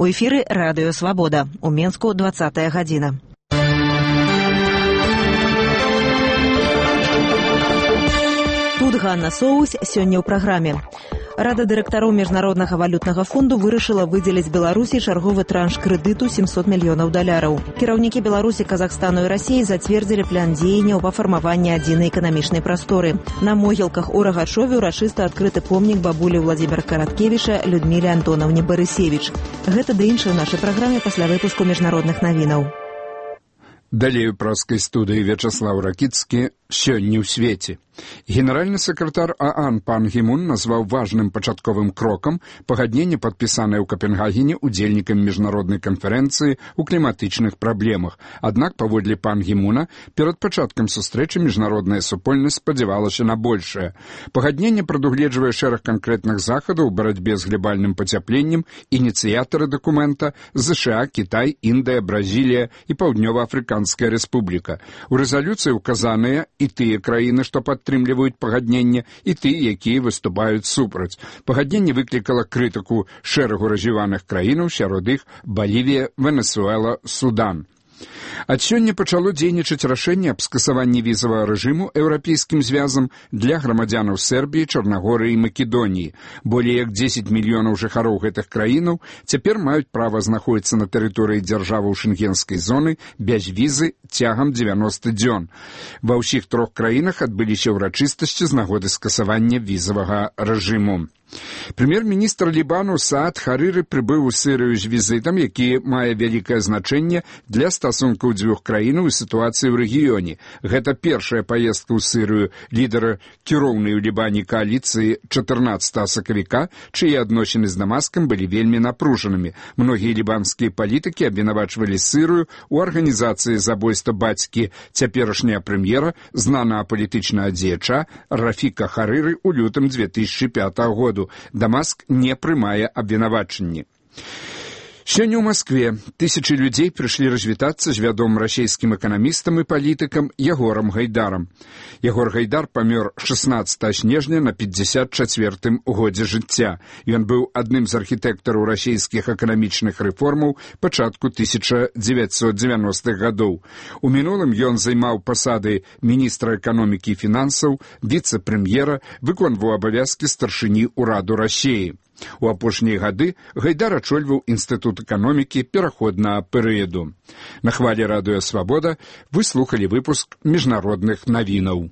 У эфіры радыё «Свабода». У Менску 20-я гадзіна. Тут Ганна Соус сёння ў праграме. Рада дырэктароў Міжнароднага валютнага фонду вырашыла выдзеліць Беларусі чарговы транш крэдыту $700 мільёнаў. Кіраўнікі Беларусі, Казахстану і Расіі зацвердзілі план дзеянняў па фармаванні адзінай эканамічнай прасторы. На могілках у Рагачове ўрачыста адкрыты помнік бабулі Владзіміра Караткевіча Людміле Антонаўне Барысевіч. Гэта ды іншае ў нашай праграме пасля выпуску міжнародных навінаў. Далей у праскай студыі Вячаслаў Ракіцкі «Сёння ў свеце». Генеральны сакратар ААН пан Гі Мун назваў важным пачатковым крокам пагадненне, падпісанае ў Капенгагене удзельнікамі міжнароднай канферэнцыі ў кліматычных праблемах. Аднак, паводле пан Гі Муна, перад пачаткам сустрэчы міжнародная супольнасць спадзявалася на большае. Пагадненне прадугледжвае шэраг канкрэтных захадаў у барацьбе з глобальным пацяпленнем. Ініцыятары дакумента ЗША, Кітай, Індыя, Бразілія і Паўднёва-Афрыканская рэспубліка. У рэзалюцыі указаныя і тыя краіны, што падтрымліваюць пагадненне, і тыя, якія выступаюць супраць. Пагадненне выклікала крытыку шэрагу развіваных краінаў, сярод іх Балівія, Венесуэла, Судан. Ад сёння пачало дзейнічаць рашэнне аб скасаванні візавага рэжыму еўрапейскім звязам для грамадзянаў Сербіі, Чарнагорыі і Македоніі. Болей як 10 мільёнаў жыхароў гэтых краінаў цяпер маюць права знаходзіцца на тэрыторыі дзяржаваў шэнгенскай зоны без візы цягам 90 дзён. Ва ўсіх трох краінах адбыліся ўрачыстасці з нагоды скасавання візавага рэжыму. Прэм'ер-міністр Лібану Саад Харыры прыбыў у Сірыю з візітам, які мае вялікае значэнне для стасункаў дзвюх краінаў і сітуацыі ў рэгіёне. Гэта першая паездка ў Сірыю лідара кіроўнай у Лібане кааліцыі 14 сакавіка, чые адносіны з Дамаскам былі вельмі напружанымі. Многія лібанскія палітыкі абвінавачвалі Сірыю ў арганізацыі забойства бацькі цяперашняга прэм'ера, знанага палітычнага дзеяча Рафіка Харыры ў лютым 2005 году. Дамаск не прымае абвінавачанні. Сёння ў Маскве тысячы людзей прыйшлі развітацца з вядомым расійскім эканамістам і палітыкам Ягорам Гайдарам. Ягор Гайдар памёр 16 снежня на 54-м годзе жыцця. Ён быў адным з архітэктараў расійскіх эканамічных рэформаў пачатку 1990-х гадоў. У мінулым ён займаў пасады міністра эканомікі і фінансаў, віцэ-прэм'ера, выконваў абавязкі старшыні ўраду Расіі. У апошнія гады Гайдар ачольваў Інстытут эканомікі пераходнага перыяду. На хвалі радыё «Свабода» вы слухалі выпуск міжнародных навінаў.